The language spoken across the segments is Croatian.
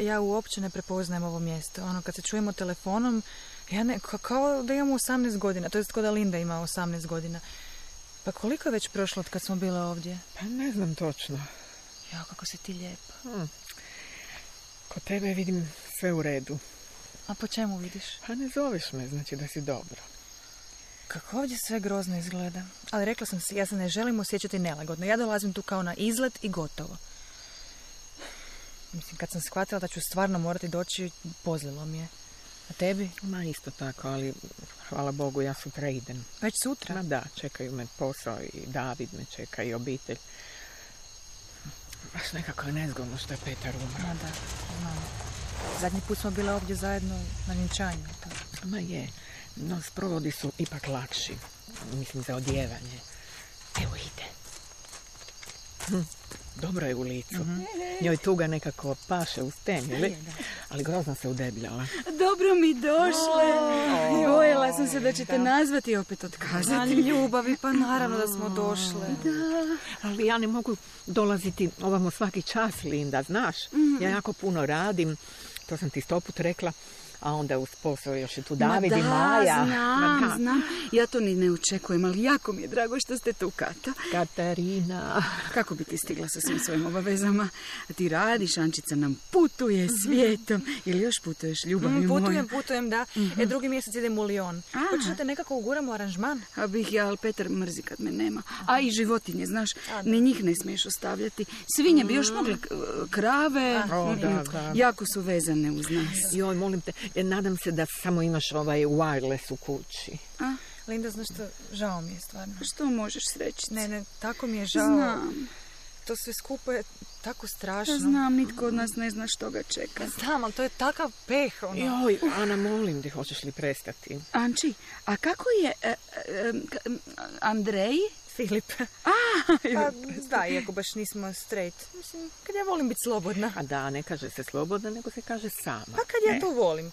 Ja uopće ne prepoznajem ovo mjesto. Kad se čujemo telefonom, kao da imamo 18 godina. To jest kao da Linda ima 18 godina. Pa koliko je već prošlo od kad smo bile ovdje? Pa ne znam točno. Kako si ti lijepa. Kod tebe vidim sve u redu. A po čemu vidiš? Pa ne zoveš me, znači da si dobro. Kako ovdje sve grozno izgleda. Ali rekla sam si, ja se ne želim osjećati nelagodno. Ja dolazim tu kao na izlet i gotovo. Mislim, kad sam shvatila da ću stvarno morati doći, pozlilo mi je. A tebi? Ma isto tako, ali hvala Bogu, ja sutra idem. Već sutra? Ma da, čekaju me posao i David me čeka i obitelj. Baš nekako je nezgodno što je Petar umro. Ma da, znam. Zadnji put smo bile ovdje zajedno na vjenčanju. Ma je, no sprovodi su ipak lakši. Mislim, za odjevanje. Evo ide. Dobro je u licu. Njoj tuga nekako paše uz ten, ali grozno se udebljala. Dobro mi došle. Bojela sam se da ćete nazvati i opet otkazati. Ljubavi, pa naravno da smo došle. Da, ali ja ne mogu dolaziti ovamo svaki čas, Linda, znaš. Ja jako puno radim, to sam ti 100 put rekla. A onda uz posao još je tu David i Maja. Znam. Ja to ni ne očekujem, ali jako mi je drago što ste tu, Kata. Katarina. Kako bi ti stigla sa svim svojim obavezama? Ti radiš, Ančica nam putuje svijetom. Ili još putuješ, ljubavi moja? Putujem, da. Drugi mjesec idem u Lyon. Hoćeš da te nekako uguramo aranžman? A bih ja, ali Petar mrzi kad me nema. A i životinje, znaš, ni njih ne smiješ ostavljati. Svinje bi još mogle, krave. Da. Jako su vezane uz nas. Joj, molim te, nadam se da samo imaš ovaj wireless u kući. Linda, znaš što, žao mi je stvarno. Što možeš sreći? Ne, tako mi je žao. Znam. To sve skupo je tako strašno. Znam, nitko od nas ne zna što ga čeka. Znam, ali to je takav peh. Joj, Ana, molim te, hoćeš li prestati? Anči, a kako je Andrej? Filip. Da, iako baš nismo straight. Mislim, kad ja volim biti slobodna. A da, ne kaže se slobodna, nego se kaže sama. Pa kad ja to volim.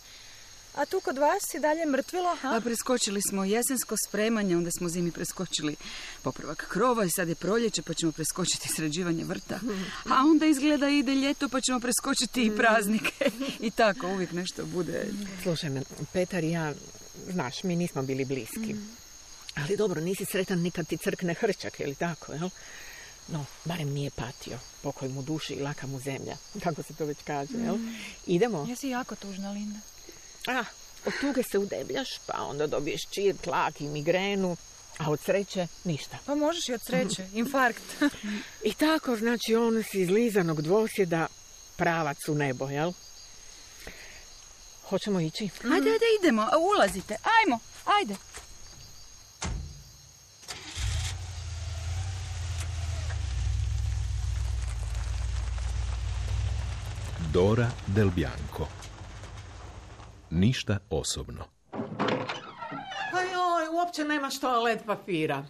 A tu kod vas je dalje mrtvilo, ha? Preskočili smo jesensko spremanje, onda smo zimi preskočili popravak krova i sad je proljeće, pa ćemo preskočiti sređivanje vrta. A onda izgleda ide ljeto, pa ćemo preskočiti i praznike. I tako, uvijek nešto bude. Slušaj me, Petar i ja, znaš, mi nismo bili bliski. Ali dobro, nisi sretan nikad ti crkne hrčak, je li tako, jel? No, barem nije patio. Pokoj mu duši i laka mu zemlja. Kako se to već kaže, jel? Idemo? Ja si jako tužna, Linda. Od tuge se udebljaš, pa onda dobiješ čir, tlak i migrenu, a od sreće ništa. Pa možeš i od sreće, infarkt. I tako, znači, on si izlizanog dvosjeda pravac u nebo, jel? Hoćemo ići? Ajde, idemo, ulazite, ajde. Dora Del Bianco. Ništa osobno. Pa joj, uopće nemaš toalet papira.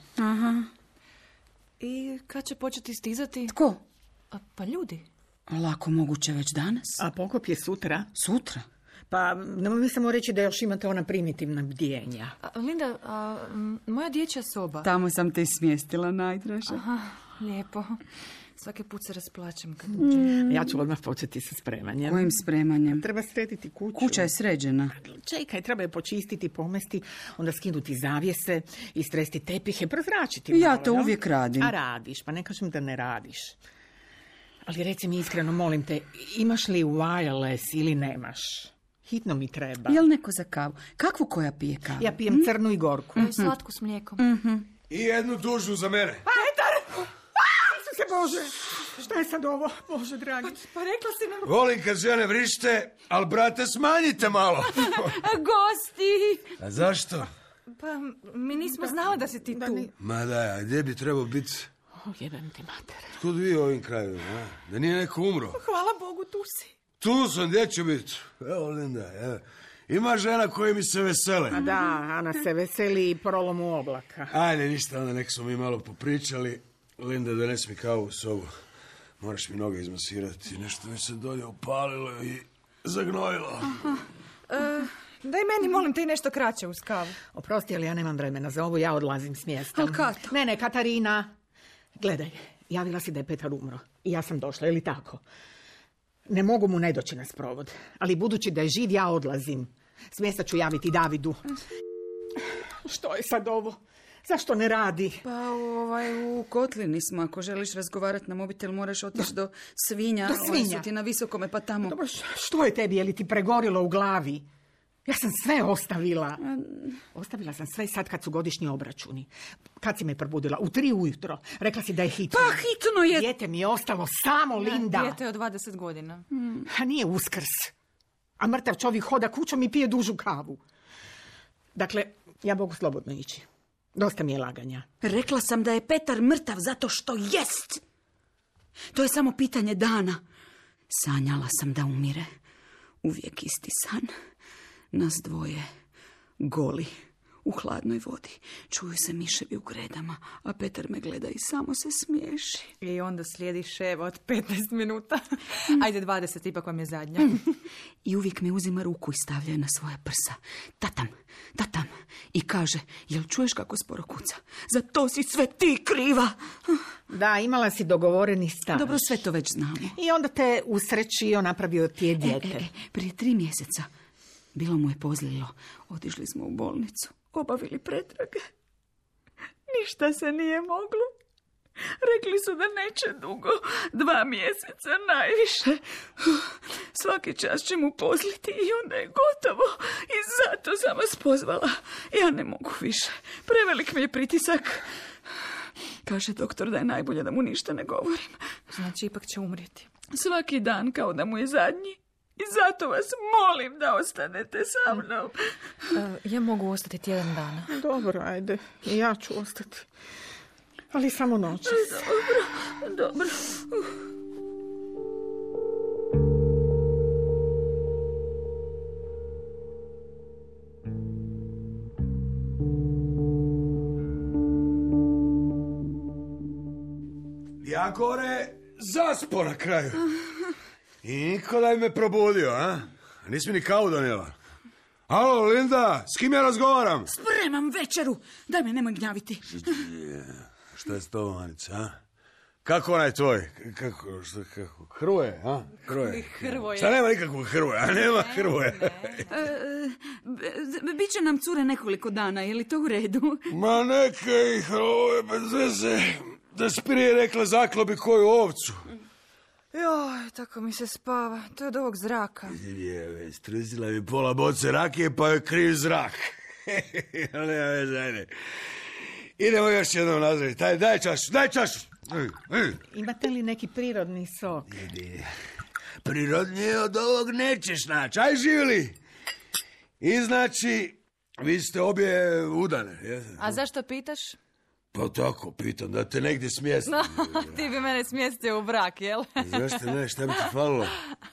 I kad će početi stizati? Tko? Pa ljudi. Lako moguće već danas. A pokop je sutra? Sutra? Pa nemoj mi samo reći da još imate ona primitivna bdjenja. Linda, moja dječja soba. Tamo sam te smjestila, najdraža. Lijepo. Svaki put se rasplačem kad uđem. Ja ću odmah početi sa spremanjem. Kojim spremanjem? Treba srediti kuću. Kuća je sređena. Čekaj, treba je počistiti, pomesti, onda skinuti zavjese, istresti tepihe, prozračiti. Ja to uvijek radim. A radiš, pa ne kažem da ne radiš. Ali reci mi iskreno, molim te, imaš li wireless ili nemaš? Hitno mi treba. Jel neko za kavu? Kakvu koja pije kavu? Ja pijem crnu i gorku. Slatku s mlijekom. I jednu dužu za mene. Petar! Se Bože, šta je sad ovo, Bože dragi? Pa rekla si nam... Volim kad žene vrište, ali brate smanjite malo. Gosti! A zašto? Pa mi nismo znali da si ti tu. Ma da, a gdje bi trebao biti? Jebem ti mater. Tkud vi ovim krajevima, a? Da nije neko umro? Hvala Bogu, tu si. Tu sam, gdje ću biti? Evo, Linda, evo. Ima žena koje mi se vesele. A da, Ana se veseli i prolomu oblaka. Ajde, ništa, onda nek smo mi malo popričali. Linda, donesi mi kavu u sobu. Moraš mi noge izmasirati. Nešto mi se dolje upalilo i zagnojilo. Daj meni, molim te, nešto kraće uz kavu. Oprosti, ali ja nemam vremena za ovo, ja odlazim s mjesta. Ali Kato? Ne, Katarina. Gledaj, javila si da je Petar umro. I ja sam došla, je li tako? Ne mogu mu ne doći na sprovod, ali budući da je živ, ja odlazim. S mjesta ću javiti Davidu. Što je sad ovo? Zašto ne radi? Pa u kotlini smo. Ako želiš razgovarati na mobitel, moraš otići do svinja. Do svinja? Oni su ti na visokome, pa tamo. Dobro, što je tebi? Je li ti pregorilo u glavi? Ja sam sve ostavila. Ostavila sam sve sad kad su godišnji obračuni. Kad si me probudila? U 3 ujutro. Rekla si da je hitno. Pa hitno je. Dijete mi je ostalo samo, Linda. Dijete je od 20 godina. A nije Uskrs. A mrtav čovjek hoda kućom i pije dužu kavu. Dakle, ja mogu slobodno ići. Dosta mi je laganja. Rekla sam da je Petar mrtav zato što jest. To je samo pitanje dana. Sanjala sam da umire. Uvijek isti san. Nas dvoje, goli, u hladnoj vodi. Čuju se miševi u gredama, a Petar me gleda i samo se smiješi. I onda slijedi ševa od 15 minuta. Ajde, 20, ipak vam je zadnja. I uvijek mi uzima ruku i stavlja na svoje prsa. Tatam, tatam. I kaže, jel čuješ kako sporo kuca? Za to si sve ti kriva. Da, imala si dogovoreni staž. Dobro, sve to već znamo. I onda te usrećio, napravio ti je dijete. Prije 3 mjeseca bilo mu je pozlilo. Otišli smo u bolnicu, obavili pretrage. Ništa se nije moglo. Rekli su da neće dugo, 2 mjeseca najviše. Svaki čas će mu pozliti i onda je gotovo. I zato sam vas pozvala. Ja ne mogu više. Prevelik mi je pritisak. Kaže doktor da je najbolje da mu ništa ne govorim. Znači, ipak će umrijeti. Svaki dan kao da mu je zadnji. I zato vas molim da ostanete sa mnom. Ja mogu ostati tjedan dana. Dobro, ajde. I ja ću ostati. Ali samo noćas. Dobro. Ja gore zaspo na kraju. I niko da me probudio, a? Nisi mi ni kavu donijela. Alo, Linda, s kim ja razgovaram? Spremam večeru. Daj me, nemoj gnjaviti. Šta je s tobom, Anica, a? Kako onaj tvoj? Kako? Hrvoje, a? Hrvoje. Šta nema nikakvog Hrvoja? A nema Hrvoje. Biće nam cure nekoliko dana, je li to u redu? Ma neka ih, ovo je bez veze. Da si prije rekla zaklobi koju ovcu. Joj, tako mi se spava. To je od ovog zraka. Je, struzila mi pola boce rakije, pa je kriv zrak. Nema veze, ajde. Idemo još jednom nazdraviti. Daj čašu. Imate li neki prirodni sok? Prirodnije od ovog nećeš naći. Aj, živjeli. I znači, vi ste obje udane. Jesam? A zašto pitaš? Pa tako, pitam, da te negdje smjesti. No, ti bi mene smjestio u brak, jel? Zašto ne, šta bi ti falilo?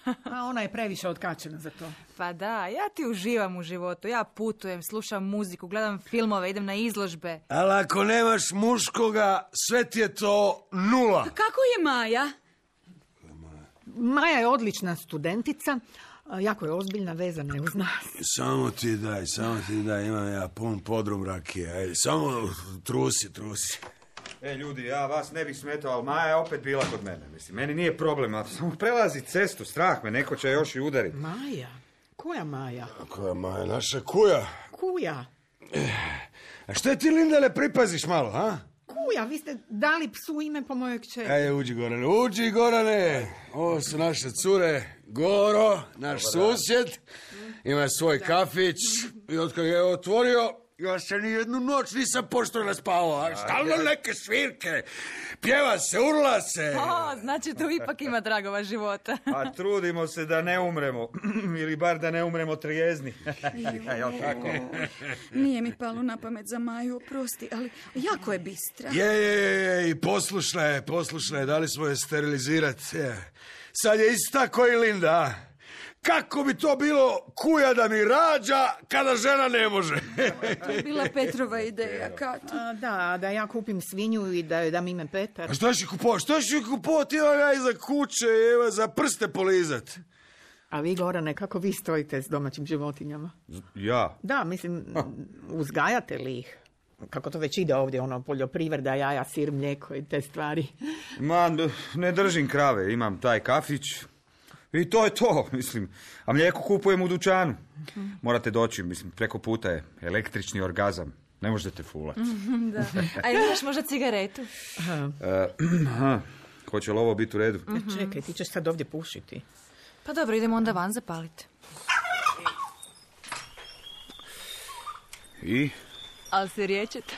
A ona je previše otkačena za to. Pa da, ja ti uživam u životu. Ja putujem, slušam muziku, gledam filmove, idem na izložbe. Ali ako nemaš muškoga, sve ti je to 0. Kako je Maja? Maja je odlična studentica, jako je ozbiljna, vezana je uz nas. Samo ti daj, imam ja pun podrum rakije. Ajde, samo trusi. Ljudi, ja vas ne bih smetao, ali Maja je opet bila kod mene. Mislim, meni nije problem, ali samo prelazi cestu, strah me, neko će još i udariti. Maja? Koja Maja? Koja Maja? Naša kuja. Kuja? A što ti, Linda, ne pripaziš malo, ha? Kuja, vi ste dali psu ime po mojoj kćeri. Ajde, uđi, Gorane. Ovo su naše cure. Goro, naš susjed, ima svoj kafić i od kada je otvorio, ja se ni jednu noć nisam pošteno spavao. Stalno neke svirke, pjeva se, urla se. O, znači tu ipak ima dragova života. A trudimo se da ne umremo, ili bar da ne umremo trijezni. Jel tako? Nije mi palo na pamet za Maju, oprosti, ali jako je bistra. Je, i poslušaj, dali smo je sterilizirati. Sad je ista koji Linda. Kako bi to bilo kuja da mi rađa kada žena ne može? To je bila Petrova ideja, Kato. Da ja kupim svinju i da joj dam ime Petar. A što ću kupovati? Evo ja iza kuće, evo za prste polizat. A vi, Gorane, kako vi stojite s domaćim životinjama? Ja? Da, mislim, uzgajate li ih? Kako to već ide ovdje, poljoprivreda, jaja, sir, mlijeko i te stvari. Ma, ne držim krave, imam taj kafić. I to je to, mislim. A mlijeko kupujem u dućanu. Morate doći, mislim, preko puta je električni orgazam. Ne možete fulati. Da. A imaš možda cigaretu? Hoće li ovo biti u redu? Čekaj, ti ćeš sad ovdje pušiti. Pa dobro, idemo onda van zapaliti. I? Ali se riječete.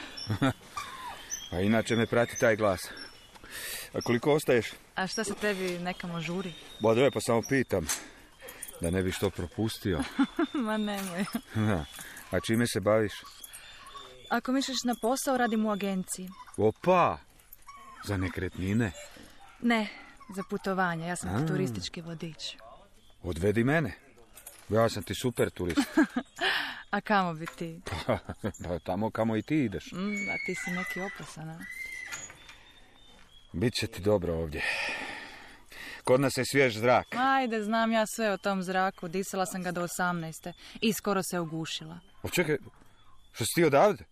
A inače me prati taj glas. A koliko ostaješ? A šta se tebi nekamo žuri? Bodove, pa samo pitam. Da ne bi što propustio. Ma nemoj. A čime se baviš? Ako misliš na posao, radim u agenciji. Opa! Za nekretnine? Ne, za putovanje. Ja sam turistički vodič. Odvedi mene. Ja sam ti super turist. A kamo bi ti? Pa tamo kamo i ti ideš. A ti si neki opasan, a? Biće ti dobro ovdje. Kod nas je svjež zrak. Ajde, znam ja sve o tom zraku. Disala sam ga do 18. I skoro se ugušila. O čekaj, što si ti odavde?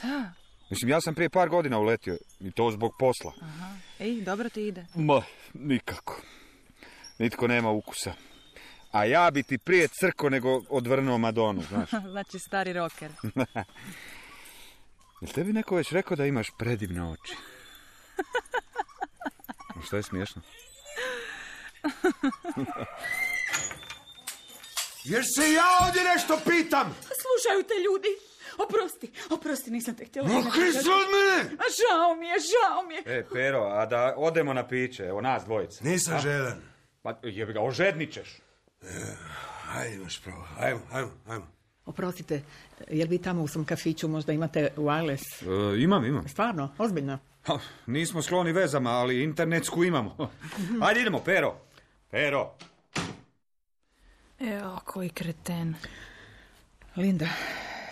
Da. Mislim, ja sam prije par godina uletio. I to zbog posla. Aha. Ej, dobro ti ide. Ma, nikako. Nitko nema ukusa. A ja bi ti prije crko nego odvrnuo Madonu, znaš. Znači stari rocker. Jel tebi neko već rekao da imaš predivne oči? Što je smiješno? Jer se ja ovdje nešto pitam! Slušaju te ljudi. Oprosti, nisam te htjela. Okri se od mene! A žao mi je. Pero, a da odemo na piće, evo nas dvojice. Nisam željan. Pa jebi ga, ožednit ćeš. Ajde, imaš pravo. Ajmo. Oprostite, jel vi tamo u svom kafiću možda imate wireless? Imam. Stvarno, ozbiljno. Ha, nismo skloni vezama, ali internetsku imamo. Ajde idemo, Pero. Evo, koji kreten. Linda,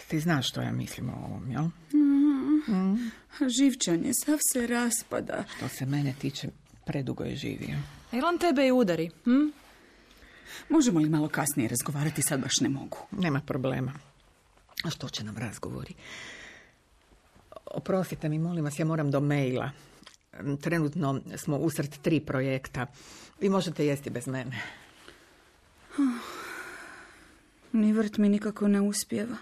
ti znaš što ja mislim o ovom, jel? Živčan je, sav se raspada. Što se mene tiče, predugo je živio. Jel on tebe i udari? Možemo li malo kasnije razgovarati, sad baš ne mogu. Nema problema. A što će nam razgovori? Oprostite mi, molim vas, ja moram do maila. Trenutno smo usred 3 projekta. Vi možete jesti bez mene. Ni vrt mi nikako ne uspijeva.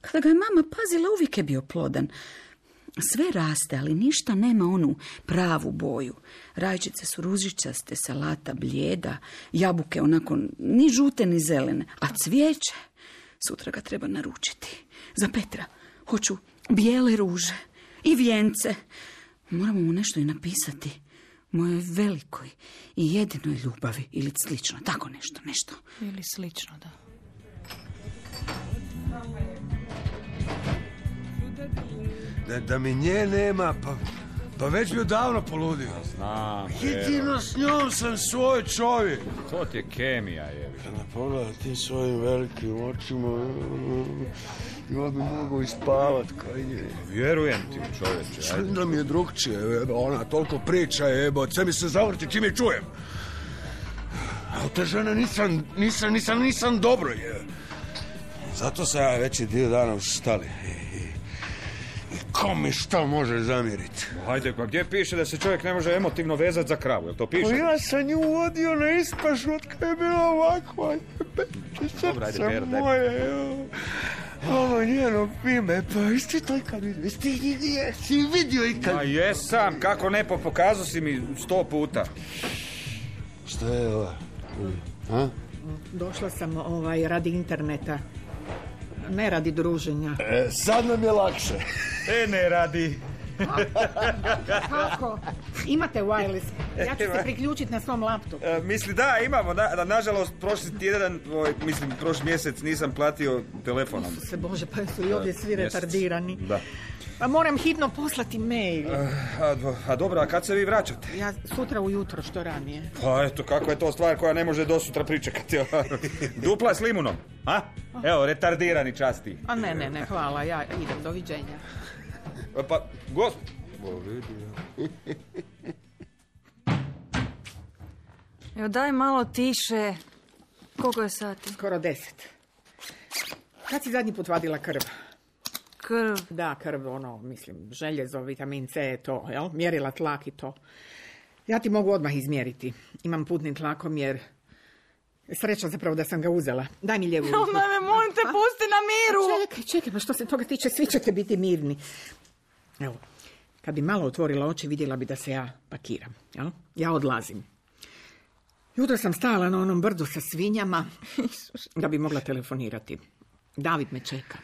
Kada ga je mama pazila, uvijek je bio plodan. Sve raste, ali ništa nema onu pravu boju. Rajčice su ružičaste, salata blijeda, jabuke onako ni žute ni zelene. A cvijeće, sutra ga treba naručiti. Za Petra hoću bijele ruže i vijence. Moramo mu nešto i napisati. Mojoj velikoj i jedinoj ljubavi ili slično. Tako nešto. Ili slično, da. Da mi nje nema, pa već bi odavno poludio. Znam, Jedino s njom sam svoj čovjek. to ti je kemija, jebi. Kada pogledaj tim svojim velikim očima, ja bi mogao ispavat kaj je. Vjerujem ti, čovječe. Linda mi je drugčije, ona toliko priča, sve mi se zavrti čim je čujem. A od te žene nisam dobro, je. Zato sam ja veći dio dana u štali. Ko mi što može zamjeriti? Hajde, pa gdje piše da se čovjek ne može emotivno vezati za kravu, jel to piše? Pa ja sam nju vodio na ispašu od kada je bila ovakva. Dobro, ajde, Pero, daj. Moje, ovo njeno ime, pa isti to ikad vidio. Si vidio ikad? Ma jesam, kako ne, pokazao si mi 100 puta. Što je ovo? A? Došla sam radi interneta. Ne radi druženja. Sad nam je lakše. Ne radi. Kako? Imate wireless. Ja ću se priključiti na svom laptopu. Misli, da, imamo. Nažalost, prošli tjedan, prošli mjesec nisam platio telefonom. Se Bože, pa su i ovdje svi retardirani. Da. Pa moram hitno poslati mail. A dobro, a kad se vi vraćate? Ja sutra ujutro, što ranije. Pa eto, kako je to stvar koja ne može do sutra pričekati. Dupla s limunom, a? Evo, retardirani časti. A ne, hvala, ja idem, doviđenja. Pa, Evo, daj malo tiše. Koliko je sati? Skoro 10. Kad si zadnji put vadila krv? Krv. Da, krv, željezo, vitamin C, to, jel? Mjerila tlak i to. Ja ti mogu odmah izmjeriti. Imam putni tlakomjer Sreća zapravo da sam ga uzela. Daj mi lijevu ruku. Me, molim te, pusti na miru. Čekaj, pa što se toga tiče, svi ćete biti mirni. Evo, kad bi malo otvorila oči, vidjela bi da se ja pakiram. Jel? Ja odlazim. Jutro sam stala na onom brdu sa svinjama da bi mogla telefonirati. David me čeka.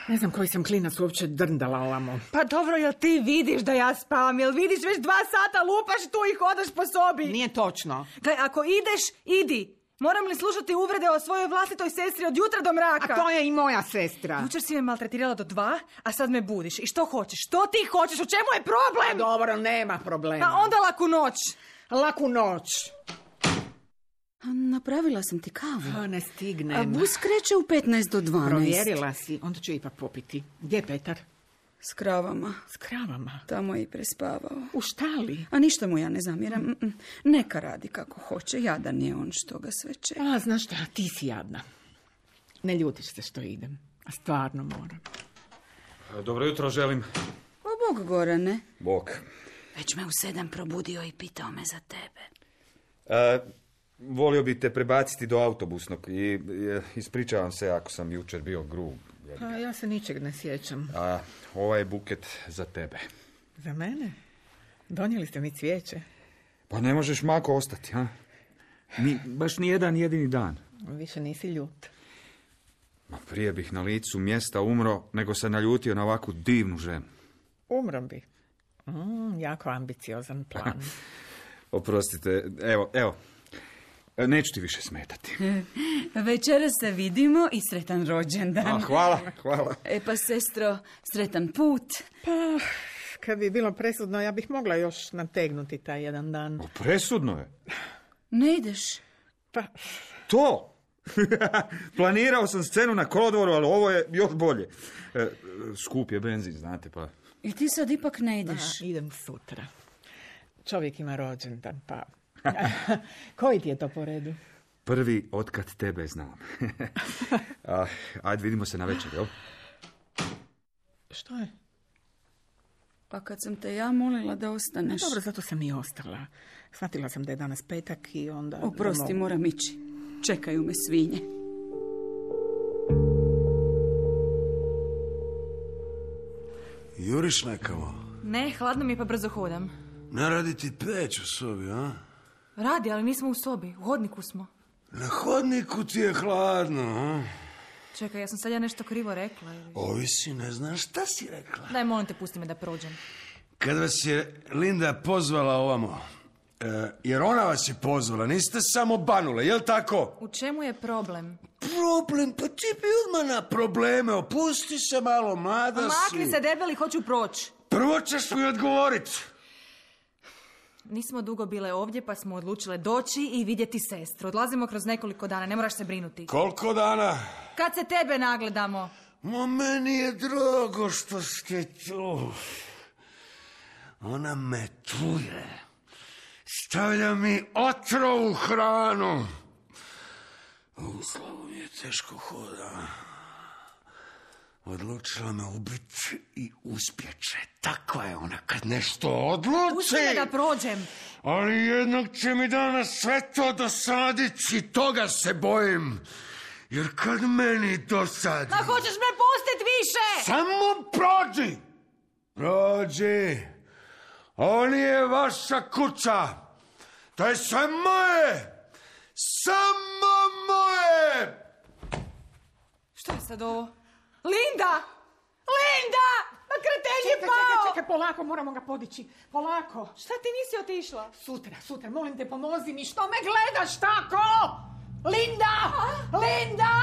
Ne znam koji sam klinac uopće drndala ovamo. Pa dobro, jel ti vidiš da ja spavam? Jel vidiš već 2 sata lupaš tu i hodaš po sobi? Nije točno. Gledaj, ako ideš, idi. Moram li slušati uvrede o svojoj vlastitoj sestri od jutra do mraka? A to je i moja sestra. Jučer si me maltretirala do 2, a sad me budiš. I što hoćeš? Što ti hoćeš? U čemu je problem? Dobro, nema problema. A onda laku noć. Laku noć. Napravila sam ti kavu. Ne stignem. A bus kreće u 15 do 12. Provjerila si, onda ću ipak popiti. Gdje je Petar? S kravama. S kravama? Tamo je i prespavao. U štali? A ništa mu ja ne zamjeram. Neka radi kako hoće. Jadan je on što ga sve čeka. A, znaš šta, ti si jadna. Ne ljutiš se što idem. A stvarno moram. Dobro jutro želim. O, Bog, Gorane. Bog. Već me u 7 probudio i pitao me za tebe. Volio bi te prebaciti do autobusnog i ispričavam se ako sam jučer bio grub. Pa ja se ničeg ne sjećam. A ovaj je buket za tebe. Za mene? Donijeli ste mi cvijeće. Pa ne možeš mako ostati, ha? Baš ni jedan jedini dan. Više nisi ljut. Ma prije bih na licu mjesta umro, nego se naljutio na ovakvu divnu ženu. Umrom bi. Jako ambiciozan plan. Oprostite, evo. Neću ti više smetati. Večeras se vidimo i sretan rođendan. Hvala. Pa, sestro, sretan put. Pa, kad bi bilo presudno, ja bih mogla još nategnuti taj jedan dan. Presudno je. Ne ideš? Pa... To! Planirao sam scenu na kolodvoru, ali ovo je još bolje. Skup je benzin, znate, pa... I ti sad ipak ne ideš? Idem sutra. Čovjek ima rođendan, pa... Koji ti je to po redu? Prvi otkad tebe znam. Ajde, vidimo se na večer, jel? Što je? Pa kad sam te ja molila da ostaneš... Dobro, zato sam i ostala. Shvatila sam da je danas petak i onda... Oprosti, moram ići. Čekaju me svinje. Juriš nekamo? Ne, hladno mi je pa brzo hodam. Ne radi ti peć u sobi, a? Radi, ali nismo u sobi. U hodniku smo. Na hodniku ti je hladno, a? Čekaj, ja sam sad nešto krivo rekla. Ovisi, ne znaš šta si rekla. Daj, molim te, pusti me da prođem. Kad vas je Linda pozvala ovamo, jer ona vas je pozvala, niste samo banule, jel tako? U čemu je problem? Problem? Pa ti bi odmah na probleme, opusti se malo, mlada si. Makni se, debeli, hoću proći. Prvo ćeš mi odgovoriti. Nismo dugo bile ovdje, pa smo odlučile doći i vidjeti sestru. Odlazimo kroz nekoliko dana, ne moraš se brinuti. Koliko dana? Kad se tebe nagledamo. Meni je drago što ste tu. Ona me truje. Stavlja mi otrov u hranu. U slavu mi je teško hoda. Odlučila me ubiti i uspjeće. Takva je ona kad nešto odluči. Pusti me da prođem. Ali jednog će mi danas sve to dosaditi i toga se bojim. Jer kad meni dosadi... Ma hoćeš me pustit više? Samo prođi! Prođi! Ovo nije vaša kuća. To je sve moje! Samo moje! Što je sad ovo? Linda! Linda! Ma kreten je pao! Čekaj, polako, moramo ga podići. Polako. Šta ti nisi otišla? Sutra, molim te, pomozi mi. Što me gledaš tako? Linda! Linda!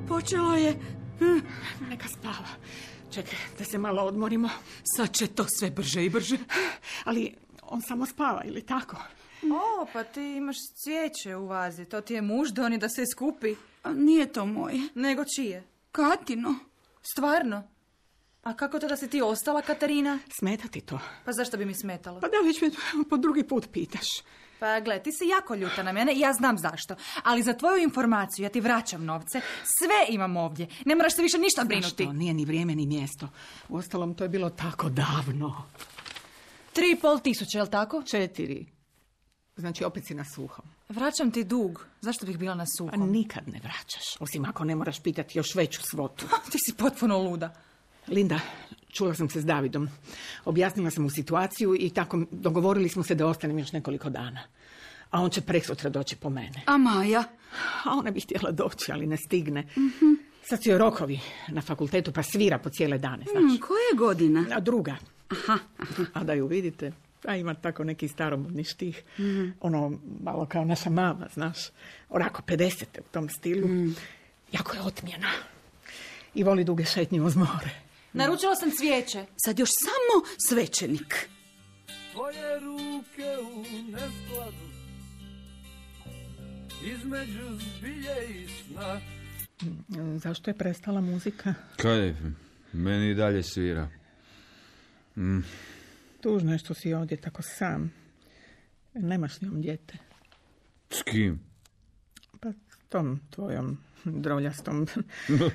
Počelo je. Neka spava. Čekaj, da se malo odmorimo. Sad će to sve brže i brže. Ali on samo spava, ili tako? O, pa ti imaš cvijeće u vazi. To ti je muž donio da se skupi. A nije to moje. Nego čije? Katino. Stvarno? A kako to da si ti ostala, Katarina? Smeta ti to? Pa zašto bi mi smetalo? Pa da već me po drugi put pitaš. Pa gle, ti si jako ljuta na mene i ja znam zašto. Ali za tvoju informaciju ja ti vraćam novce. Sve imam ovdje. Ne moraš se više ništa brinuti. Znaš što, nije ni vrijeme ni mjesto. Uostalom, to je bilo tako davno. 3.500, je li tako? 4. Znači, opet si na suhom. Vraćam ti dug. Zašto bih bila na A suhom? nikad ne vraćaš, osim ako ne moraš pitati još veću svotu. Ti si potpuno luda. Linda, čula sam se s Davidom. Objasnila sam mu situaciju i tako dogovorili smo se da ostanem još nekoliko dana. A on će preksutra doći po mene. A Maja? A ona bi htjela doći, ali ne stigne. Sad su joj rokovi na fakultetu, pa svira po cijele dane, znaš. Koja je godina? A druga. A da ju vidite, a ima tako neki staromodni štih. Ono, malo kao naša mama, znaš. Onako 50 u tom stilu. Jako je otmjena. I voli duge šetnje uz more. Naručila sam cvijeće. Sad još samo svećenik. Tvoje ruke u neskladu između zbilje i sna. Zašto je prestala muzika? Kaj, meni i dalje svira. Tužno je što si ovdje tako sam. Nemaš s njom dijete. S kim? Pa s tom tvojom droljastom.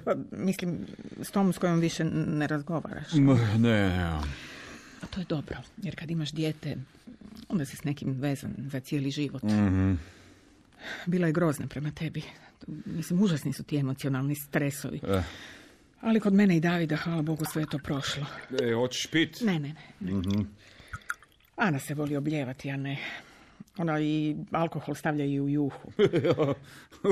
Pa, mislim, s tom s kojom više ne razgovaraš. Ne. A to je dobro, jer kad imaš dijete, onda si s nekim vezan za cijeli život. Bila je grozna prema tebi. Mislim, užasni su ti emocionalni stresovi. Ali kod mene i Davida, hvala Bogu, sve je to prošlo. Hoćeš pit? Ne. Ana se voli obljevati, a ne. Ona i alkohol stavlja i u juhu.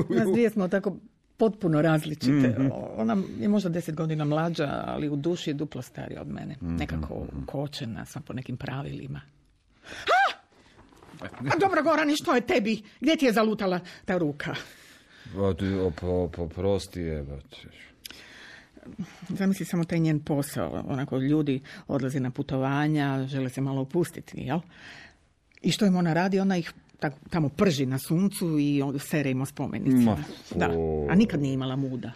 Nas dvije smo tako potpuno različite. Ona je možda 10 godina mlađa, ali u duši je duplo starija od mene. Nekako kočena, sva po nekim pravilima. A dobro, Gorane, što je tebi? Gdje ti je zalutala ta ruka? Prosti je. Zamisli samo taj njen posao. Onako, ljudi odlaze na putovanja, žele se malo opustiti, jel? I što im ona radi? Ona ih tamo prži na suncu i onda sere im o spomenicima. Da, a nikad nije imala muda.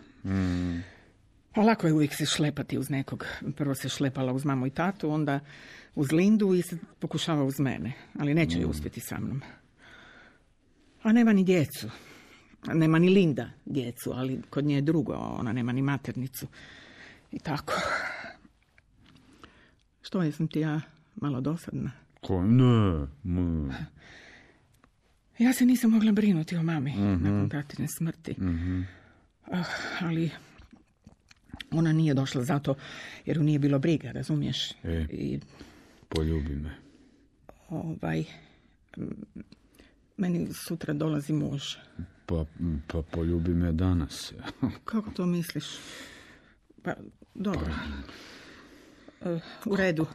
A lako je uvijek se šlepati uz nekog. Prvo se šlepala uz mamu i tatu, onda uz Lindu i se pokušava uz mene. Ali neće ju uspjeti sa mnom. A nema ni djecu. Nema ni Linda djecu, ali kod nje je drugo. Ona nema ni maternicu. I tako. Što, jesam ti ja malo dosadna? Ne. Ja se nisam mogla brinuti o mami nakon tatine smrti. Ali ona nije došla zato jer ju nije bilo briga, razumiješ? I poljubi me. Meni sutra dolazi muž. Pa poljubi me danas. Kako to misliš? Pa, dobro. U redu.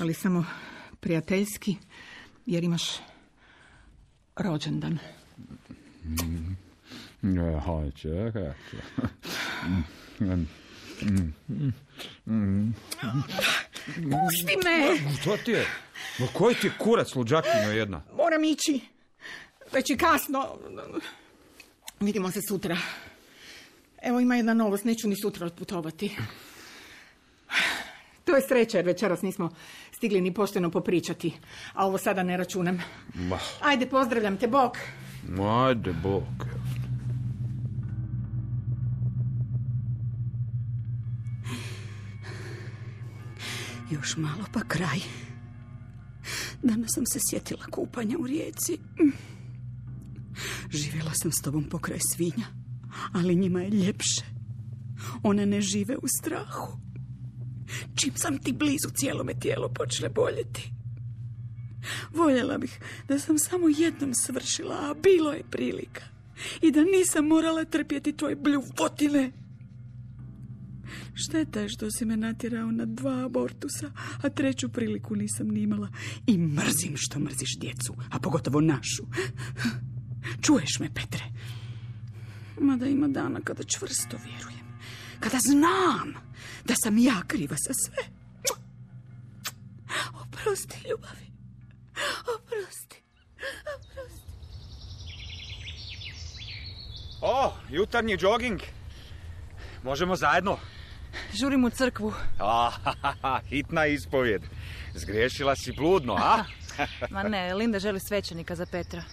Ali samo prijateljski, jer imaš rođendan. Čekaj. Pusti me! Što ti je? Koji ti je kurac, luđakinja jedna? Moram ići. Već je kasno. Vidimo se sutra. Evo, ima jedna novost, neću ni sutra otputovati. To je sreća, jer večeras nismo stigli ni pošteno popričati. A ovo sada ne računam. Ajde, pozdravljam te, bok. Ajde, bok. Još malo pa kraj. Danas sam se sjetila kupanja u rijeci. Živjela sam s tobom pokraj svinja, ali njima je ljepše. One ne žive u strahu. Čim sam ti blizu, cijelo me tijelo počne boljeti. Voljela bih da sam samo jednom svršila, a bilo je prilika. I da nisam morala trpjeti tvoje bljuvotine. Šteta je što si me natjerao na 2 abortusa, a 3. priliku nisam ni imala. I mrzim što mrziš djecu, a pogotovo našu. Čuješ me, Petre? Mada ima dana kada čvrsto vjerujem. Kada znam da sam ja kriva za sve. Oprosti, ljubavi. Oprosti. Jutarnji džoging. Možemo zajedno? Žurim u crkvu. Hitna ispovjed. Zgriješila si bludno, a? Ma ne, Linda želi svećenika za Petra.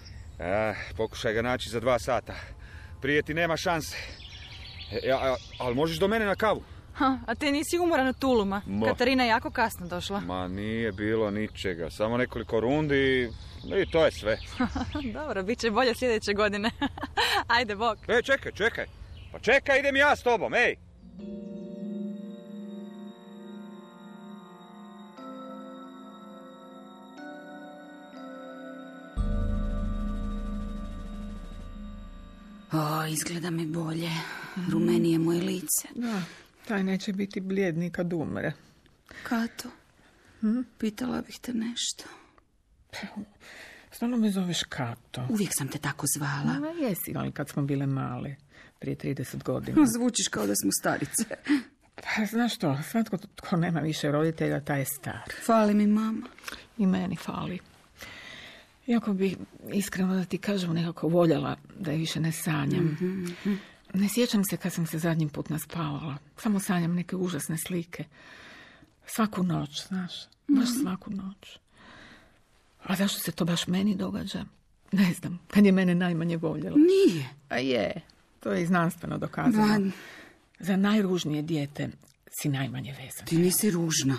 Pokušaj ga naći za 2 sata. Prije ti nema šanse. Ali možeš do mene na kavu. A ti nisi umoran od tuluma. Katarina je jako kasno došla. Ma nije bilo ničega, samo nekoliko rundi i to je sve. Dobro, bit će bolje sljedeće godine. Ajde, bok. Čekaj. Pa čekaj, idem ja s tobom, ej! Izgleda mi bolje. Rumenije moje lice. Da, taj neće biti blijedni kad umre. Kato, pitala bih te nešto. Stalno me zoveš Kato. Uvijek sam te tako zvala. Jesi, ali kad smo bile male, prije 30 godina. Zvučiš kao da smo starice. Pa, znaš što, svatko tko nema više roditelja, taj je star. Fali mi mama. I meni fali. Iako bi, iskreno da ti kažem, nekako voljela da je više ne sanjam. Ne sjećam se kad sam se zadnji put naspavala. Samo sanjam neke užasne slike. Svaku noć, znaš. Baš svaku noć. A zašto se to baš meni događa? Ne znam. Kad je mene najmanje voljela. Nije. A je. To je i znanstveno dokazano. Za najružnije dijete si najmanje vezan. Ti nisi ružna.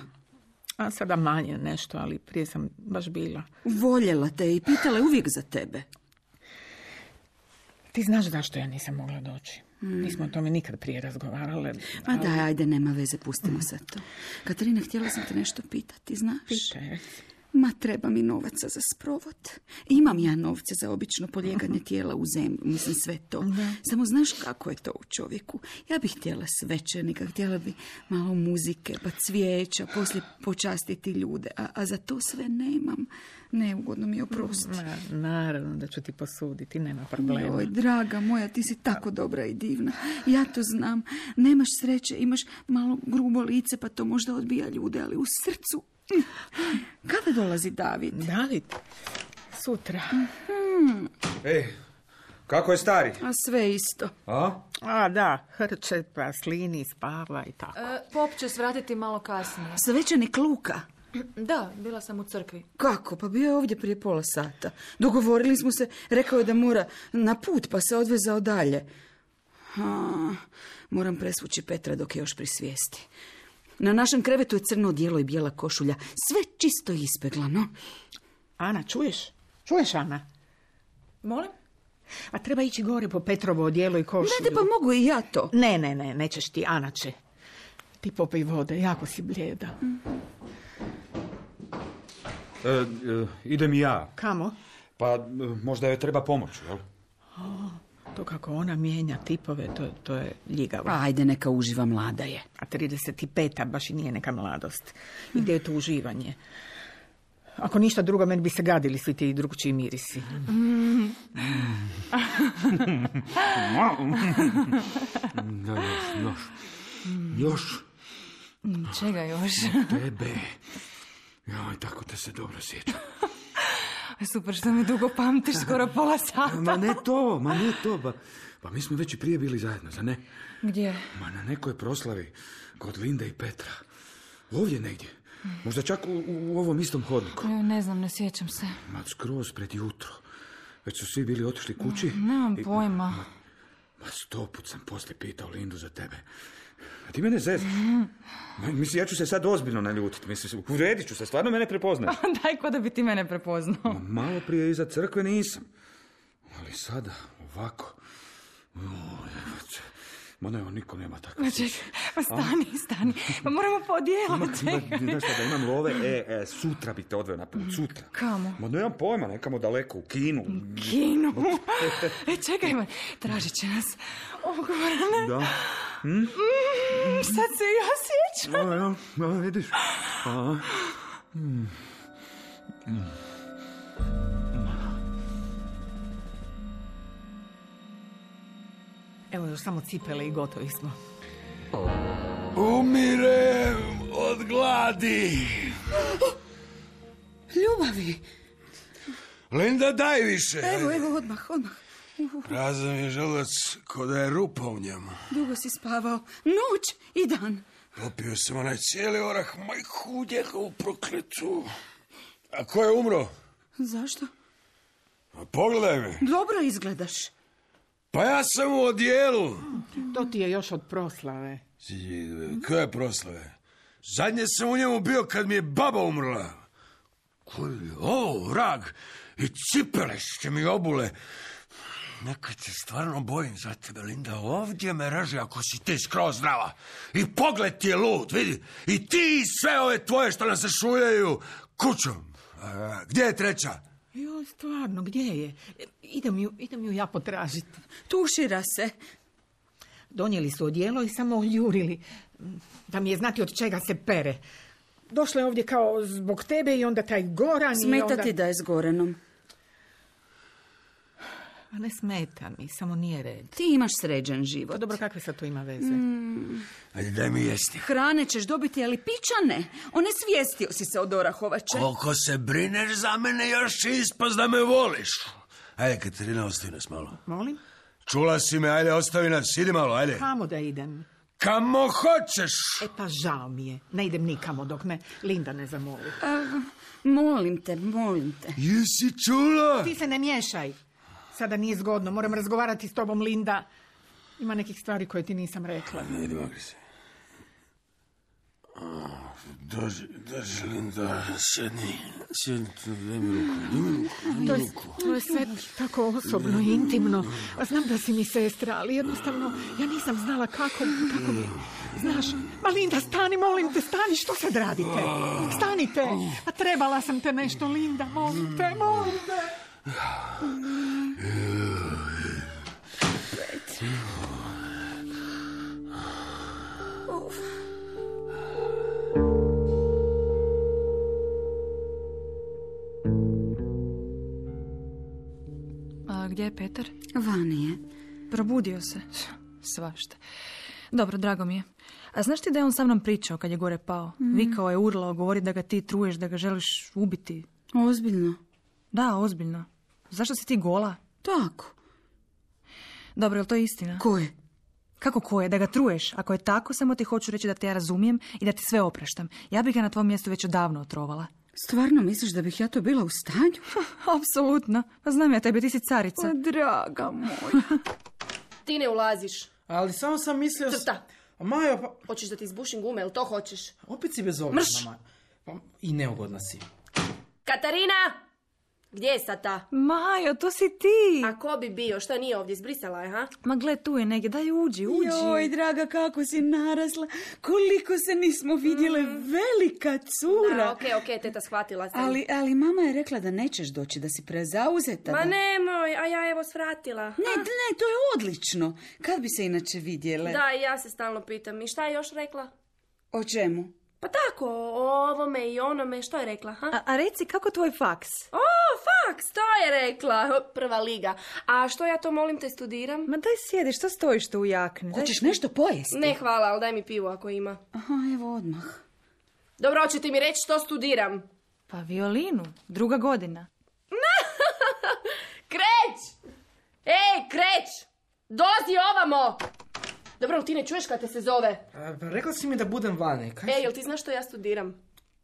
A sada manje nešto, ali prije sam baš bila. Voljela te i pitala je uvijek za tebe. Ti znaš zašto ja nisam mogla doći. Nismo o tome nikad prije razgovarale. Ma daj, ajde, nema veze, pustimo sad to. Katarina, htjela sam te nešto pitati, znaš? Pitaj. Ma, treba mi novaca za sprovod. Imam ja novce za obično polijeganje tijela u zemlju, mislim sve to. Samo znaš kako je to u čovjeku. Ja bih htjela svećenika, htjela bi malo muzike, pa cvijeća, poslije počastiti ljude. A za to sve nemam. Neugodno mi oprosti. Naravno da ću ti posuditi, nema problema. Joj, draga moja, ti si tako dobra i divna. Ja to znam. Nemaš sreće, imaš malo grubo lice, pa to možda odbija ljude, ali u srcu... Kada dolazi David? David? Sutra. Ej, kako je stari? A sve isto. A da, hrče, pa slini, spava i tako. Pop će svratiti malo kasnije. Svećenik Luka? Da, bila sam u crkvi. Kako? Pa bio je ovdje prije pola sata. Dogovorili smo se, rekao je da mora na put, pa se odvezao dalje. Moram presvući Petra dok je još pri svijesti. Na našem krevetu je crno odijelo i bijela košulja. Sve čisto ispeglano. Ana, čuješ? Čuješ, Ana? Molim? A treba ići gore po Petrovo odijelo i košulju. Ne, pa mogu i ja to. Ne, nećeš ti, Ana će. Ti popij vode, jako si blijeda. Idem i ja. Kamo? Pa možda joj treba pomoć, jel? To kako ona mijenja tipove, to je ljigavo. Ajde, neka uživa, mlada je. A 35, baš i nije neka mladost. I gdje je to uživanje? Ako ništa drugo, meni bi se gadili svi ti drugčiji mirisi. Još. Čega još? Tebe. Joj, tako te se dobro sjećam. Super što me dugo pamtiš, skoro pola sata. Ma ne to. Pa mi smo već i prije bili zajedno, za ne? Gdje? Ma na nekoj proslavi kod Linde i Petra. Ovdje negdje. Možda čak u ovom istom hodniku. Ne znam, ne sjećam se. Ma skroz pred jutro. Već su svi bili otišli kući. Nemam pojma. Ma 100 put sam poslije pitao Lindu za tebe. A ti mene zezna. Mislim, ja ću se sad ozbiljno naljutiti. Mislim, uredit ću se, stvarno mene prepoznaš. Daj, ko da bi ti mene prepoznao. Malo prije iza crkve nisam. Ali sada, ovako... Ma ne, niko nema takve sjeće. Pa stani. Pa moramo po odijelo, čekaj. Znaš šta, da imam love, sutra bi te odveo na put, sutra. Kamo? Ma nemam pojma, nekamo daleko, u kinu. Kinu? Čekaj, tražit će nas. Gorane. Da. Sad se ja sjećam. Ja, vidiš. Evo još samo cipele i gotovi smo. Umirem od gladi. Ljubavi. Linda, daj više. Evo, odmah. Prazan je želudac ko da je rupa u njemu. Dugo si spavao. Noć i dan. Popio sam onaj cijeli orah, majku njegovu prokletu. A ko je umro? Zašto? A pogledaj me. Dobro izgledaš. Pa ja sam u odijelu. To ti je još od proslave. Koje proslave? Zadnje sam u njemu bio kad mi je baba umrla. Koji je ovo, vrag? I cipele će mi obule. Nekad se stvarno bojim za tebe, Linda. Ovdje me reže ako si ti skroz zdrava. I pogled ti je lud, vidi. I ti i sve ove tvoje što nas se šuljaju kućom. Gdje je treća? Jo, stvarno, gdje je? Idem ju ja potražiti. Tušira se. Donijeli su odijelo i samo oljurili. Da mi je znati od čega se pere. Došla je ovdje kao zbog tebe i onda taj Goran i onda... Smeta ti da je s Goranom? A ne smeta mi, samo nije red. Ti imaš sređen život. Pa dobro, kakve sad to ima veze? Ajde, daj mi jesti. Hrane ćeš dobiti, ali pića ne. Onesvijestio si se od Orahovače. Koliko se brineš za mene, još će ispast da me voliš. Ajde, Katarina, ostavi nas malo. Molim? Čula si me, ajde, ostavi nas, idi malo, ajde. Kamo da idem? Kamo hoćeš. E pa žao mi je. Ne idem nikamo dok me Linda ne zamoli. Molim te. Jesi čula? Ti se ne miješaj. Sada nije zgodno, moram razgovarati s tobom, Linda. Ima nekih stvari koje ti nisam rekla. Ajde, makri se. Dođi, Linda, sjedni, daj mi ruku. To je sve tako osobno i intimno. Znam da si mi sestra, ali jednostavno ja nisam znala kako mi... Znaš, ma Linda, stani, molim te, stani, što sad radite? Stanite, a trebala sam te nešto, Linda, molim te. A gdje je Petar? Vani je. Probudio se. Svašta. Dobro, drago mi je. A znaš ti da je on sa mnom pričao kad je gore pao? Vikao je, urlao, govori da ga ti truješ, da ga želiš ubiti. Ozbiljno? Da, ozbiljno. Zašto si ti gola? Tako. Dobro, je li to istina? Ko je? Kako ko je? Da ga truješ? Ako je tako, samo ti hoću reći da te ja razumijem i da ti sve opraštam. Ja bih ga na tvom mjestu već odavno otrovala. Stvarno misliš da bih ja to bila u stanju? Apsolutno. Pa znam ja tebe, ti si carica. O, draga moja. Ti ne ulaziš. Ali samo sam mislio... Crta. Majo, pa... Hoćeš da ti izbušim gume, jel to hoćeš? Opet si bezobrazna, Mrš! Majo. Pa, i neugodna si. Katarina! Gdje je sad ta? Majo, to si ti. A ko bi bio? Šta nije ovdje? Zbrisala je, ha? Ma gle, tu je negdje. Daj, uđi. Joj, draga, kako si narasla. Koliko se nismo vidjele. Velika cura. Da, okej, teta, shvatila sam. Ali mama je rekla da nećeš doći, da si prezauzeta. Ma nemoj, a ja evo svratila. Ne, to je odlično. Kad bi se inače vidjele? Da, i ja se stalno pitam. I šta je još rekla? O čemu? Pa tako, o ovome i onome. Što je rekla, ha? A reci, kako tvoj faks? O, faks, to je rekla. Prva liga. A što ja to, molim te, studiram? Ma daj sjedi, što stojiš tu u jakni? Hoćeš nešto pojesti? Ne, hvala, ali daj mi pivo ako ima. Aha, evo odmah. Dobro, hoćete mi reći što studiram? Pa violinu, 2. godina. Kreć! Ej, kreć! Dozi ovamo! Dobro, ti ne čuješ kad te se zove? Pa rekla si mi da budem vani. Ej, jel ti znaš što ja studiram?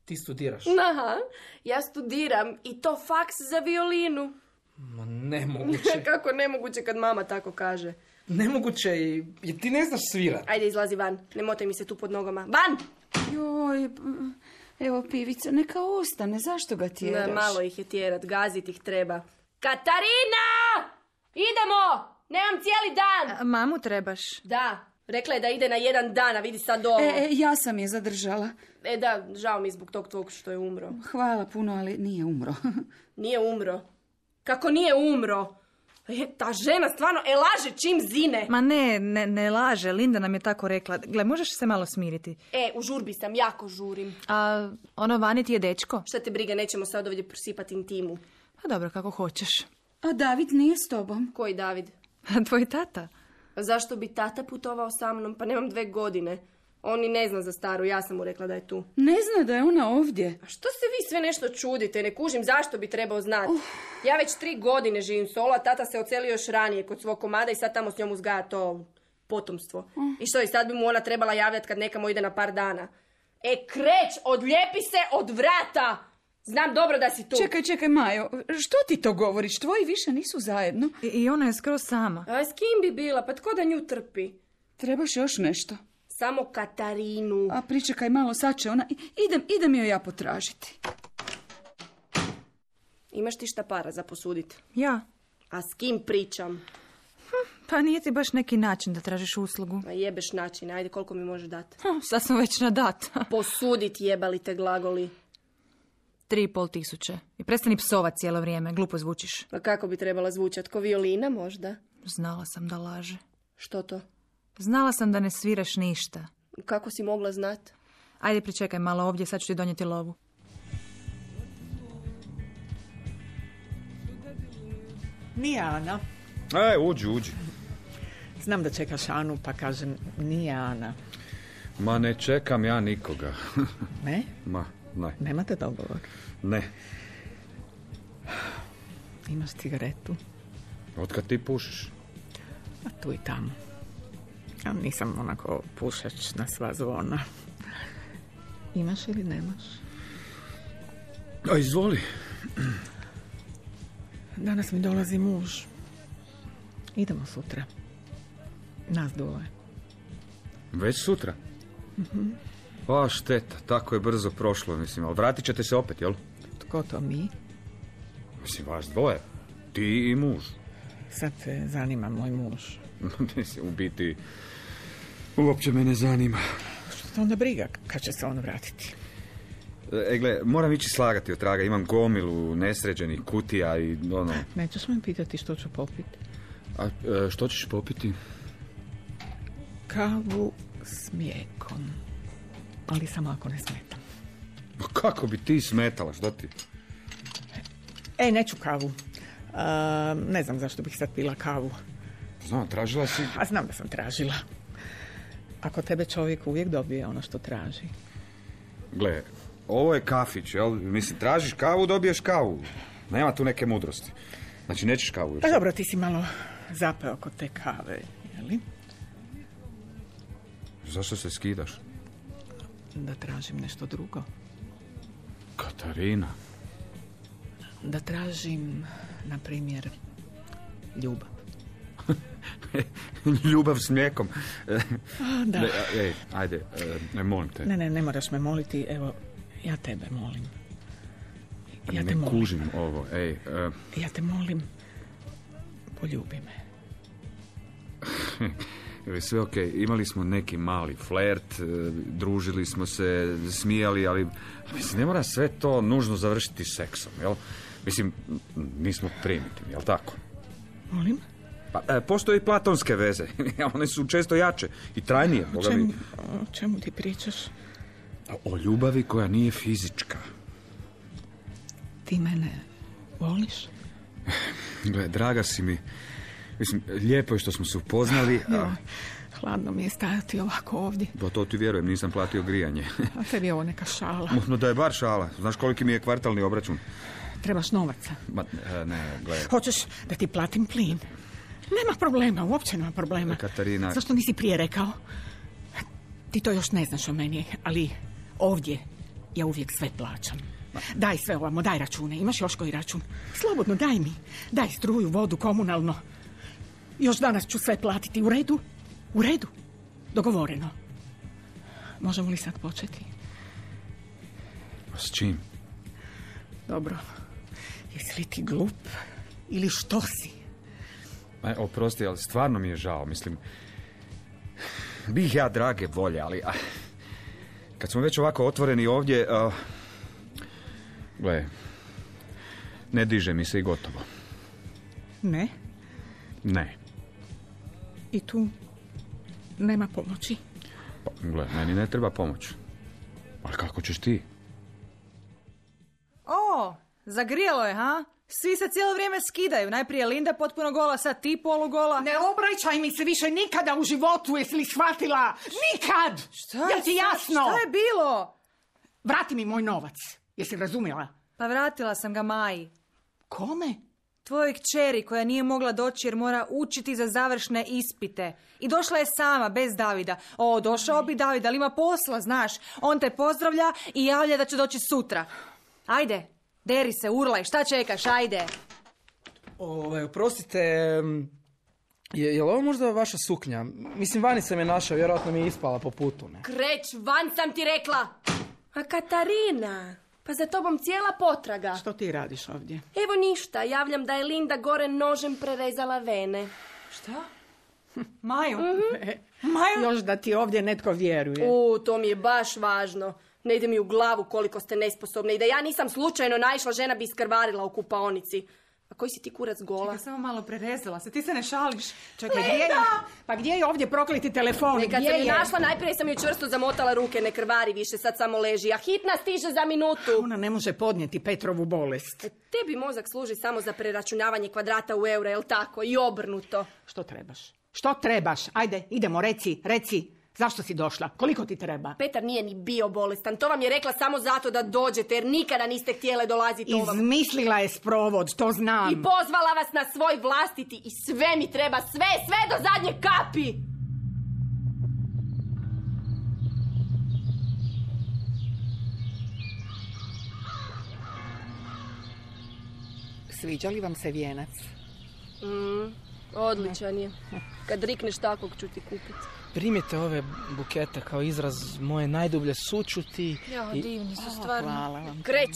Ti studiraš? Aha, ja studiram i to faks za violinu. Ma nemoguće. Kako nemoguće kad mama tako kaže? Nemoguće jer ti ne znaš svirat. Ajde, izlazi van. Ne motaj mi se tu pod nogama. Van! Joj, evo pivica, neka ostane. Zašto ga tjeraš? Malo ih je tjerat, gazit ih treba. Katarina! Idemo! Nemam cijeli dan! Mamu trebaš? Da, rekla je da ide na 1 dan, a vidi sad ovo. Ja sam je zadržala. Da, žao mi zbog tog tvog što je umro. Hvala puno, ali nije umro. Nije umro? Kako nije umro? Ta žena stvarno laže čim zine. Ma ne laže, Linda nam je tako rekla. Gle, možeš se malo smiriti? U žurbi sam, jako žurim. A ono vani ti je dečko? Šta te briga, nećemo sad ovdje prosipati intimu. Pa dobro, kako hoćeš. A David nije s tobom? Koji David? Tvoj tata? A zašto bi tata putovao sa mnom? Pa nemam 2 godine. On ni ne zna za staru, ja sam mu rekla da je tu. Ne zna da je ona ovdje. A što se vi sve nešto čudite? Ne kužim zašto bi trebao znati. Ja već 3 godine živim solo, a tata se ocelio još ranije kod svog komada i sad tamo s njom uzgaja to potomstvo. I što, i sad bi mu ona trebala javljati kad nekamo ide na par dana. Kreć, odlijepi se od vrata! Znam dobro da si tu. Čekaj, Majo, što ti to govoriš? Tvoji više nisu zajedno. I ona je skroz sama. A s kim bi bila? Pa tko da nju trpi? Trebaš još nešto? Samo Katarinu. A pričekaj malo, sad će ona... Idem joj ja potražiti. Imaš ti šta para za posuditi? Ja. A s kim pričam? Pa nije ti baš neki način da tražiš uslugu. A jebeš način, ajde, koliko mi možeš dati? Sad smo već na dat. Posudit jebali te glagoli. 3.500. I prestani psovat cijelo vrijeme, glupo zvučiš. A kako bi trebala zvučat? Ko violina možda? Znala sam da laže. Što to? Znala sam da ne sviraš ništa. Kako si mogla znat? Ajde, pričekaj malo ovdje, sad ću ti donijeti lovu. Nije Ana. Uđi. Znam da čekaš Anu, pa kažem, nije Ana. Ma ne čekam ja nikoga. Ne? Ma, ne. Nemate dogovor? Ne. Imaš cigaretu? Otkad ti pušiš? A tu i tamo. Ja nisam onako pušač na sva zvona. Imaš ili nemaš? A izvoli. Danas mi dolazi muž. Idemo sutra. Nas dvoje. Već sutra? Pa šteta, tako je brzo prošlo, mislim, ali vratit ćete se opet, jel? Tko to mi? Mislim, vas dvoje. Ti i muž. Sad te zanima moj muž. U biti, uopće me ne zanima. Što te onda briga kad će se on vratiti? Gle, moram ići slagati od traga, imam gomilu nesređenih kutija i ono... Nećeš me pitati što ću popiti? A što ćeš popiti? Kavu s mlijekom. Ali samo ako ne smetam. Kako bi ti smetala, što ti? Neću kavu. Ne znam zašto bih sad pila kavu. Znam, tražila si... A znam da sam tražila. Ako tebe čovjek uvijek dobije ono što traži. Gle, ovo je kafić, jel? Mislim, tražiš kavu, dobiješ kavu. Nema tu neke mudrosti. Znači, nećeš kavu još. Pa dobro, ti si malo zapeo kod te kave, jeli? Zašto se skidaš? Da tražim nešto drugo. Katarina. Da tražim, na primjer, ljubav. Ljubav s mlijekom. Da. Ajde, molim te. Ne moraš me moliti, evo, ja tebe molim. Ja te molim. Kužim ovo, Ja te molim, poljubi me. Sve okej, imali smo neki mali flert, družili smo se, smijali, ali mislim, ne mora sve to nužno završiti seksom, jel? Mislim, nismo primitivni, jel tako? Molim? Pa, postoje i platonske veze, one su često jače i trajnije. O čemu ti pričaš? O ljubavi koja nije fizička. Ti mene voliš? Gle, draga si mi. Mislim, lijepo je što smo se upoznali. Hladno mi je stajati ovako ovdje. Pa to ti vjerujem, nisam platio grijanje. A tebi je ovo neka šala. No da je bar šala. Znaš koliki mi je kvartalni obračun? Trebaš novaca. Ne, gle. Hoćeš da ti platim plin? Nema problema, uopće nema problema. Katarina... Zašto nisi prije rekao? Ti to još ne znaš o meni, ali ovdje ja uvijek sve plaćam. Daj sve ovamo, daj račune. Imaš još koji račun? Slobodno, daj mi. Daj struju, vodu, komunalno. Još danas ću sve platiti. U redu? U redu. Dogovoreno. Možemo li sad početi? S čim? Dobro. Jesi li ti glup? Ili što si? Oprosti, ali stvarno mi je žao. Mislim, bih ja drage volje, ali... kad smo već ovako otvoreni ovdje... gle, ne diže mi se i gotovo. Ne? Ne. I tu nema pomoći? Pa, gle, meni ne treba pomoć. Ali kako ćeš ti? Zagrijalo je, ha? Svi se cijelo vrijeme skidaju. Najprije Linda potpuno gola, sad ti polugola. Ne obraćaj mi se više nikada u životu, jesi li shvatila? Nikad! Šta Jel ti jasno? Šta je bilo? Vrati mi moj novac, jesi razumjela? Pa vratila sam ga Maji. Kome? Tvojoj kćeri koja nije mogla doći jer mora učiti za završne ispite. I došla je sama, bez Davida. Došao bi David, ali ima posla, znaš. On te pozdravlja i javlja da će doći sutra. Ajde, deri se, urlaj, šta čekaš, ajde. Oprostite, Je li ovo možda vaša suknja? Mislim, vani sam je našao, vjerojatno mi je ispala po putu, ne? Kreć, van sam ti rekla! A Katarina, pa za tobom cijela potraga. Što ti radiš ovdje? Evo ništa, javljam da je Linda gore nožem prerezala vene. Šta? Maju? Maju? Još da ti ovdje netko vjeruje. To mi je baš važno. Ne ide mi u glavu koliko ste nesposobni i da ja nisam slučajno naišla, žena bi iskrvarila u kupaonici. A koji si ti kurac gola? Čekaj, samo malo prerezala se, ti se ne šališ. Čekaj, gdje je ovdje prokleti telefon? Kad sam je našla, najprije sam joj čvrsto zamotala ruke, ne krvari više, sad samo leži. A hitna stiže za minutu. Ona ne može podnijeti Petrovu bolest. Tebi mozak služi samo za preračunavanje kvadrata u eure, jel tako? I obrnuto. Što trebaš? Što trebaš? Ajde, idemo, reci. Zašto si došla? Koliko ti treba? Petar nije ni bio bolestan. To vam je rekla samo zato da dođete, jer nikada niste htjele dolaziti ovam. Izmislila je sprovod, to znam. I pozvala vas na svoj vlastiti i sve mi treba, sve do zadnje kapi. Sviđa li vam se vijenac? Odličan je. Kad rikneš takvog ću ti kupiti. Primite ove bukete kao izraz moje najdublje sućuti. Ja, divni su stvarno. Hvala vam. Kreć.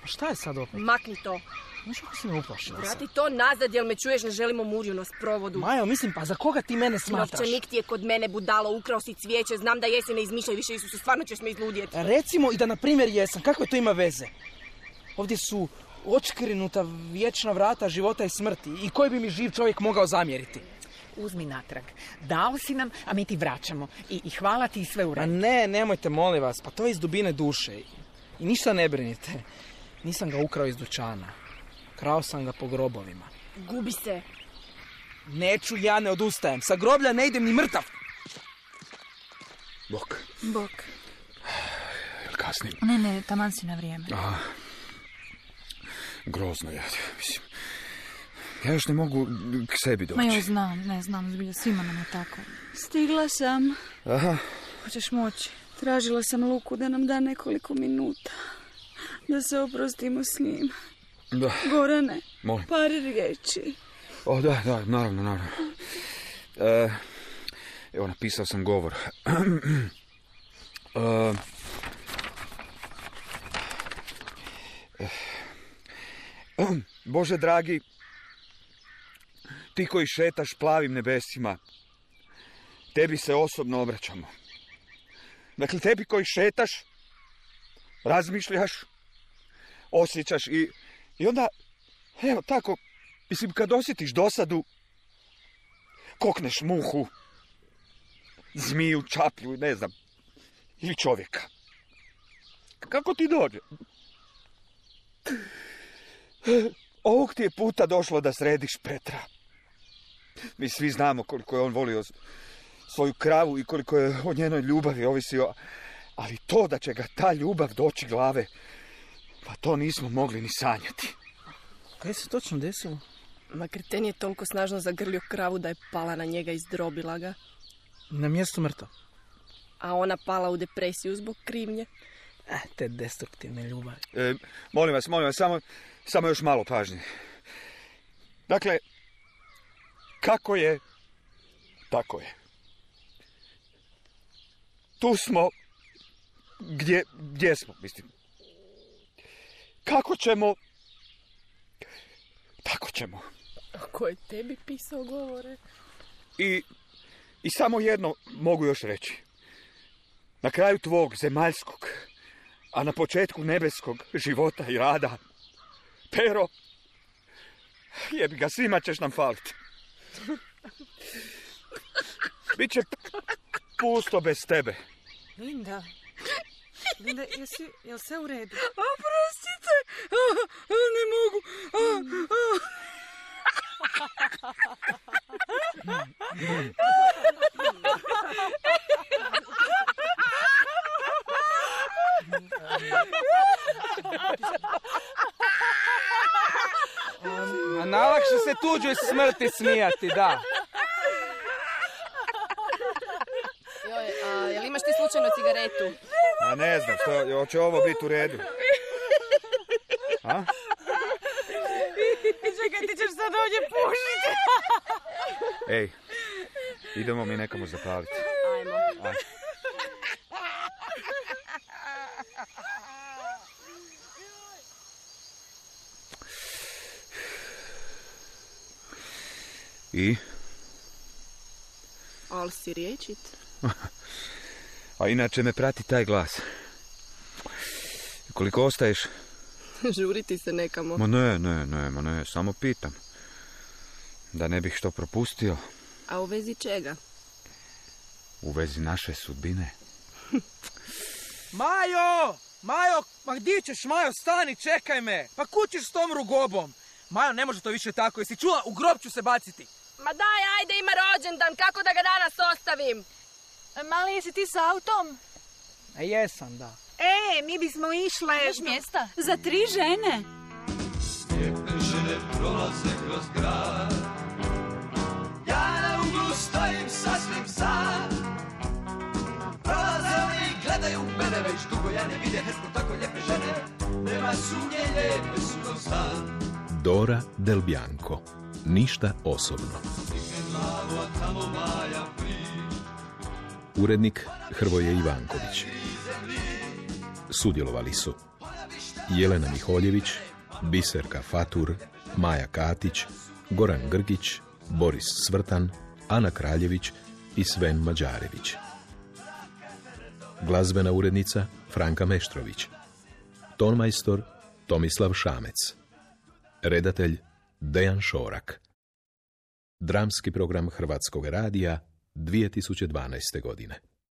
Šta je sad opet? Makni to. Znaš kako si me uplašila? Vrati to nazad, jel me čuješ, ne želimo mužju na sprovodu. Majo, mislim, pa za koga ti mene smatraš? Novčanik ti je kod mene, budalo, ukrao si cvijeće, znam da jesi, ne izmišljaj više, Isuse, stvarno ćeš me izludjeti. Recimo i da na primjer jesam, kakve to ima veze? Ovdje su odškrinuta vječna vrata života i smrti i koji bi mi živ čovjek mogao zamjeriti? Uzmi natrag. Dao si nam, a mi ti vraćamo. I hvala ti i sve u redu. A ne, nemojte, molim vas, pa to je iz dubine duše. I ništa ne brinite. Nisam ga ukrao iz dućana. Krao sam ga po grobovima. Gubi se. Neću, ja ne odustajem. Sa groblja ne idem ni mrtav. Bok. Jel kasnim? Ne, taman si na vrijeme. Grozno je, mislim. Ja još ne mogu k sebi doći. Ma ja znam, zbilja, svima nam je tako. Stigla sam. Aha. Hoćeš moći? Tražila sam Luku da nam da nekoliko minuta. Da se oprostimo s njim. Da. Gorane, Molim. par riječi. Da, naravno. Evo, napisao sam govor. Bože dragi, ti koji šetaš plavim nebesima, tebi se osobno obraćamo. Dakle, tebi koji šetaš, razmišljaš, osjećaš i onda, evo tako, mislim, kad osjetiš dosadu, kokneš muhu, zmiju, čaplju, ne znam, ili čovjeka. Kako ti dođe? Ovog ti je puta došlo da središ Petra. Mi svi znamo koliko je on volio svoju kravu i koliko je o njenoj ljubavi ovisio, ali to da će ga ta ljubav doći glave, pa to nismo mogli ni sanjati. Kaj se točno desilo? Ma kreten je toliko snažno zagrlio kravu da je pala na njega i izdrobila ga. Na mjestu mrtav. A ona pala u depresiju zbog krivnje. Te destruktivne ljubavi. Molim vas, samo još malo pažnje. Dakle, kako je, tako je. Tu smo, gdje smo, mislim. Kako ćemo, tako ćemo. A ko je tebi pisao govore? I samo jedno mogu još reći. Na kraju tvog zemaljskog, a na početku nebeskog života i rada, Pero, jebi ga, svima ćeš nam faliti. Biće pusto bez tebe. Linda, jel sve u redu? Oprostite, ne mogu. A najlakše se tuđoj smrti smijati, da. Jel imaš ti slučajno cigaretu? A ne znam, hoće ovo biti u redu. A? Čekaj, ti ćeš sad ovdje pušiti. Ej, idemo mi nekamo zapaliti. Ajmo. Ajde. I? Ali si riječit. A inače me prati taj glas. Koliko ostaješ? Žuriti se nekamo. Ma ne, samo pitam. Da ne bih što propustio. A u vezi čega? U vezi naše sudbine. Majo! Majo, ma gdje ćeš, Majo, stani, čekaj me. Pa kućiš s tom rugobom. Majo, ne može to više tako, jesi čula? U grob ću se baciti. Ma daj, ajde, ima rođendan, kako da ga danas ostavim? Mali, jesi ti s autom? Jesam, da. Mi bismo išle... Imaš mjesta? Za 3 žene. Lijepe žene prolaze kroz grad. Ja na uglu stojim sasvim sam. Prolaze oni i gledaju mene, već dugo ja ne vidim tako lijepe žene. Nema sumnje, lijepe su ko san. Dora Del Bianco. Ništa osobno. Urednik Hrvoje Ivanković. Sudjelovali su Jelena Miholjević, Biserka Fatur, Maja Katić, Goran Grgić, Boris Svrtan, Ana Kraljević i Sven Mađarević. Glazbena urednica Franka Meštrović. Tonmajstor Tomislav Šamec. Redatelj Dejan Šorak. Dramski program Hrvatskog radija 2012. godine.